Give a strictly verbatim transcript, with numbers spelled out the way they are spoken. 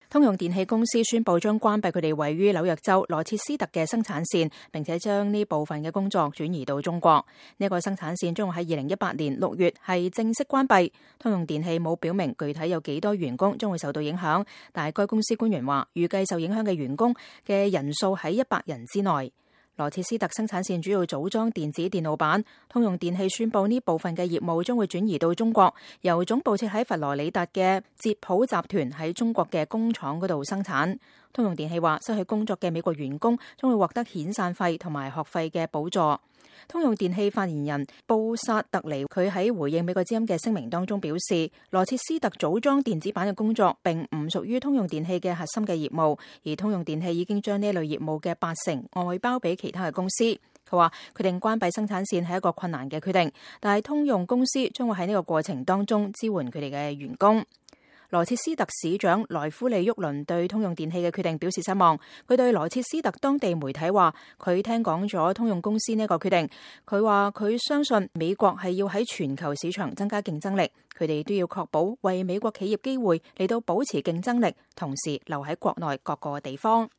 通用電氣公司宣布將關閉佢哋位於紐約州羅切斯特嘅生產線，並且將呢部分嘅工作轉移到中國。呢一個生產線將會喺二零一八年六月係正式關閉。通用電氣冇表明具體有幾多員工將會受到影響，但係該公司官員話預計受影響嘅員工嘅人數喺一百人之內。羅切斯特生產線主要組裝電子電路板，通用電氣宣布呢部分嘅業務將會轉移到中國，由總部設喺佛羅里達嘅捷普集團喺中國嘅工廠嗰度生產。通用電氣話失去工作嘅美國員工將會獲得遣散費同埋學費嘅補助。通用電氣發言人布薩特尼佢喺回應美國之音嘅聲明當中表示，羅切斯特組裝電子板嘅工作並唔屬於通用電氣嘅核心嘅業務，而通用電氣已經將呢類業務嘅八成外包俾其他嘅公司。佢話決定關閉生產線係一個困難嘅決定，但係通用公司將會喺呢個過程當中支援佢哋嘅員工。羅切斯特市長萊夫利沃倫對通用電氣嘅決定表示失望。佢對羅切斯特當地媒體話，佢聽講咗通用公司呢個決定。佢話佢相信美國係要喺全球市場增加競爭力，佢哋都要確保為美國企業機會嚟到保持競爭力，同時留喺國內各個地方。